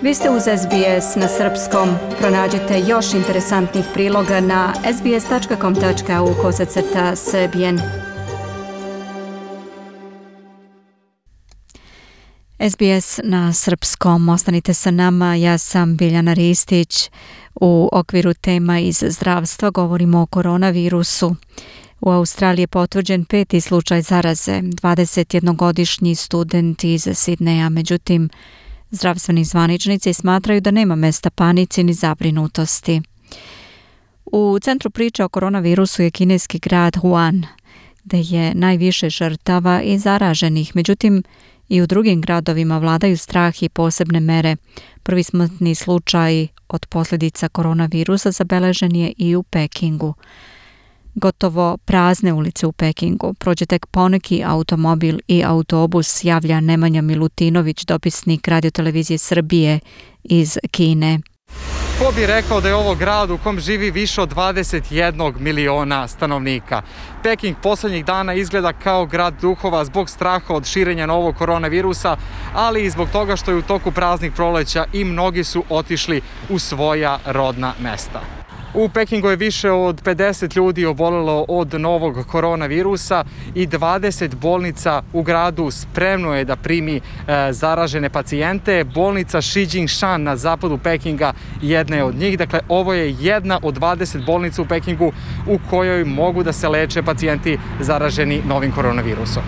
Vi ste uz SBS na srpskom. Pronađite još interesantnih priloga na sbs.com.au/srbijen. SBS na srpskom. Ostanite sa nama. Ja sam Biljana Ristić. U okviru tema iz zdravstva govorimo o koronavirusu. U Australiji je potvrđen 5. slučaj zaraze, 21-godišnji student iz Sidneja. Međutim, zdravstveni zvaničnici smatraju da nema mesta panici ni zabrinutosti. U centru priče o koronavirusu je kineski grad Wuhan, gde je najviše žrtava i zaraženih. Međutim, i u drugim gradovima vladaju strah i posebne mere. Prvi smrtni slučaj od posljedica koronavirusa zabeležen je i u Pekingu. Gotovo prazne ulice u Pekingu. Prođe tek poneki automobil i autobus, javlja Nemanja Milutinović, dopisnik radiotelevizije Srbije iz Kine. Ko bi rekao da je ovo grad u kom živi više od 21 miliona stanovnika. Peking poslednjih dana izgleda kao grad duhova zbog straha od širenja novog koronavirusa, ali i zbog toga što je u toku praznih proleća i mnogi su otišli u svoja rodna mesta. U Pekingu je više od 50 ljudi obolelo od novog koronavirusa i 20 bolnica u gradu spremno je da primi zaražene pacijente. Bolnica Shi Jingshan na zapadu Pekinga jedna je od njih. Dakle, ovo je jedna od 20 bolnica u Pekingu u kojoj mogu da se leče pacijenti zaraženi novim koronavirusom.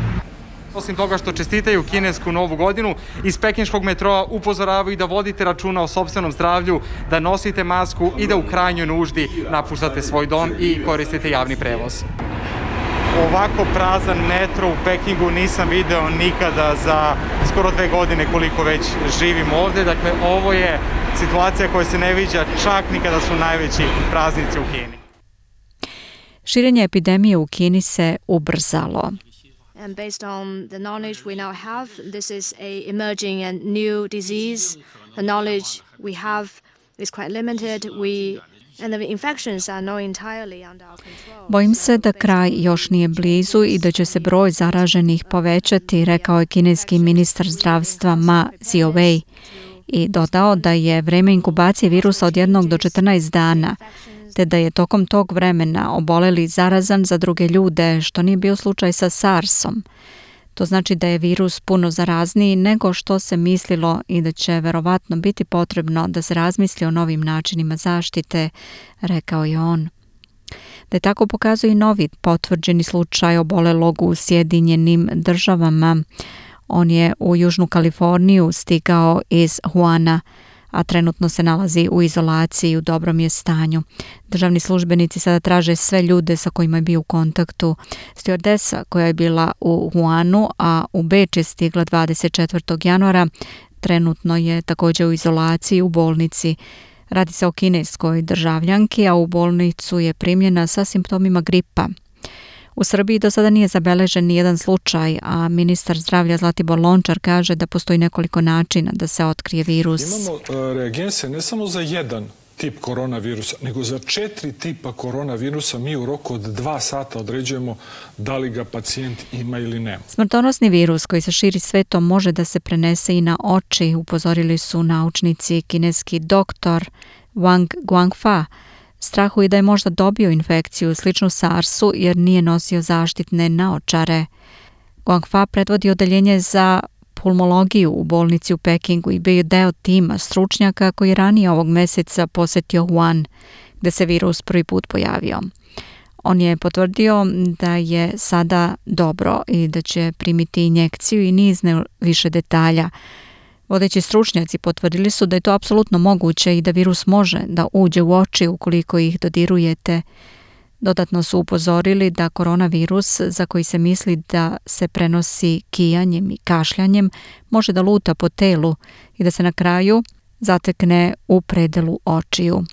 Osim toga što čestitaju kinesku novu godinu, iz pekinškog metroa upozoravaju da vodite računa o sopstvenom zdravlju, da nosite masku i da u krajnjoj nuždi napuštate svoj dom i koristite javni prevoz. Ovako prazan metro u Pekingu nisam video nikada za skoro 2 godine koliko već živim ovde. Dakle, ovo je situacija koja se ne viđa čak ni kada su najveći praznici u Kini. Širenje epidemije u Kini se ubrzalo. And based on the knowledge we now have, this is a emerging and new disease. The knowledge we have is quite limited. And the infections are not entirely under our control. Bojim se da kraj još nije blizu i da će se broj zaraženih povećati, rekao je kineski ministar zdravstva Ma Ziowei i dodao da je vreme inkubacije virusa od 1 do 14 dana, te da je tokom tog vremena oboleli zarazan za druge ljude, što nije bio slučaj sa SARS-om. To znači da je virus puno zarazniji nego što se mislilo i da će verovatno biti potrebno da se razmisli o novim načinima zaštite, rekao je on. Da je tako pokazuje i novi potvrđeni slučaj obolelog u Sjedinjenim Državama. On je u Južnu Kaliforniju stigao iz Wuhana, a trenutno se nalazi u izolaciji, u dobrom je stanju. Državni službenici sada traže sve ljude sa kojima je bio u kontaktu. Stewardesa koja je bila u Wuhanu, a u Beč je stigla 24. januara, trenutno je također u izolaciji u bolnici. Radi se o kineskoj državljanki, a u bolnicu je primljena sa simptomima gripa. U Srbiji do sada nije zabeležen nijedan slučaj, a ministar zdravlja Zlatibor Lončar kaže da postoji nekoliko načina da se otkrije virus. Imamo reagense ne samo za jedan tip koronavirusa, nego za 4 tipa koronavirusa. Mi u roku od 2 sata određujemo da li ga pacijent ima ili nema. Smrtonosni virus koji se širi svetom može da se prenese i na oči, upozorili su naučnici. Kineski doktor Wang Guangfa strahuje da je možda dobio infekciju sličnu SARS-u jer nije nosio zaštitne naočare. Guangfa predvodi odeljenje za pulmologiju u bolnici u Pekingu i bio je deo tima stručnjaka koji je ranije ovog meseca posjetio Wuhan, gde se virus prvi put pojavio. On je potvrdio da je sada dobro i da će primiti injekciju i niz više detalja. Vodeći stručnjaci potvrdili su da je to apsolutno moguće i da virus može da uđe u oči ukoliko ih dodirujete. Dodatno su upozorili da koronavirus, za koji se misli da se prenosi kijanjem i kašljanjem, može da luta po telu i da se na kraju zatekne u predelu očiju.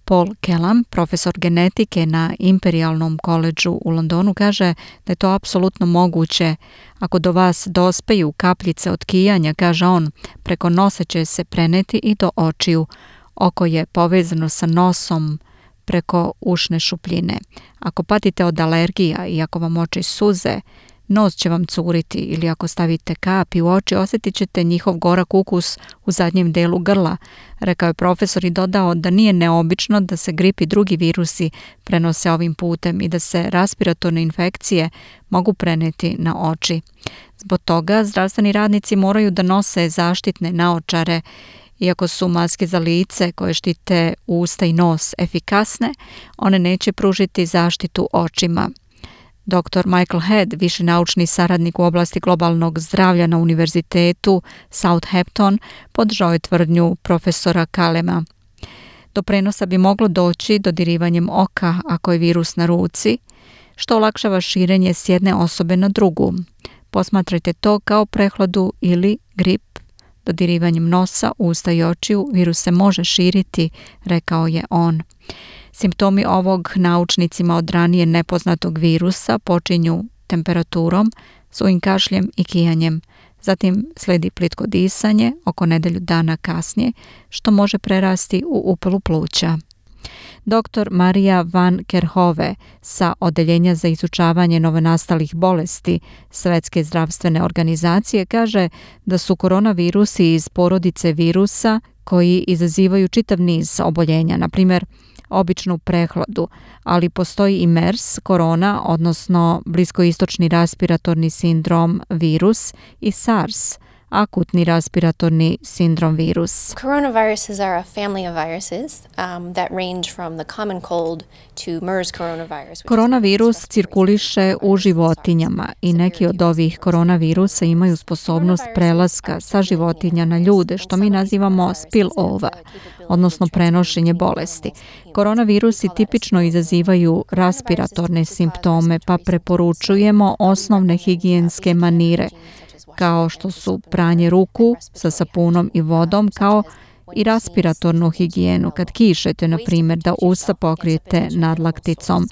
Paul Kellam, profesor genetike na Imperialnom koledžu u Londonu, kaže da je to apsolutno moguće. Ako do vas dospeju kapljice od kijanja, kaže on, preko nosa će se preneti i do očiju. Oko je povezano sa nosom preko ušne šupljine. Ako patite od alergija i ako vam oči suze, nos će vam curiti ili ako stavite kapi u oči osjetit ćete njihov gorak ukus u zadnjem delu grla, rekao je profesor i dodao da nije neobično da se grip i drugi virusi prenose ovim putem i da se respiratorne infekcije mogu preneti na oči. Zbog toga zdravstveni radnici moraju da nose zaštitne naočare. Iako su maske za lice koje štite usta i nos efikasne, one neće pružiti zaštitu očima. Dr. Michael Head, viši naučni saradnik u oblasti globalnog zdravlja na univerzitetu Southampton, podržao je tvrdnju profesora Kalema. Do prenosa bi moglo doći dodirivanjem oka ako je virus na ruci, što olakšava širenje s jedne osobe na drugu. Posmatrajte to kao prehladu ili grip. Dodirivanjem nosa, usta i očiju virus se može širiti, rekao je on. Simptomi ovog naučnicima od ranije nepoznatog virusa počinju temperaturom, sujim kašljem i kijanjem. Zatim slijedi plitko disanje oko nedelju dana kasnije, što može prerasti u upalu pluća. Dr. Marija van Kerhove sa Odeljenja za izučavanje novonastalih bolesti Svetske zdravstvene organizacije kaže da su koronavirusi iz porodice virusa koji izazivaju čitav niz oboljenja, na primjer običnu prehladu, ali postoji i MERS, korona, odnosno bliskoistočni respiratorni sindrom virus i SARS, akutni respiratorni sindrom virus. Coronaviruses are a family of viruses that range from the common cold to MERS coronavirus. Koronavirus cirkuliše u životinjama i neki od ovih koronavirusa imaju sposobnost prelaska sa životinja na ljude, što mi nazivamo spillover, odnosno prenošenje bolesti. Koronavirusi tipično izazivaju respiratorne simptome, pa preporučujemo osnovne higijenske manire, kao što su pranje ruku sa sapunom i vodom, kao i respiratornu higijenu. Kad kišete, na primjer, da usta pokrijete nadlakticom.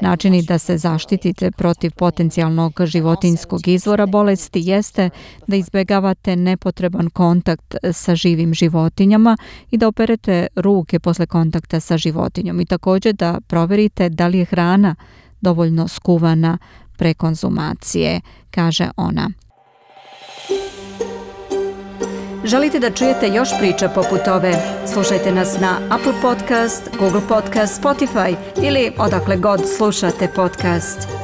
Načini da se zaštitite protiv potencijalnog životinjskog izvora bolesti jeste da izbjegavate nepotreban kontakt sa živim životinjama i da operete ruke posle kontakta sa životinjom i također da provjerite da li je hrana dovoljno skuvana pre konzumacije, kaže ona. Želite da čujete još priča poput ove? Slušajte nas na Apple Podcast, Google Podcast, Spotify ili odakle god slušate podcast.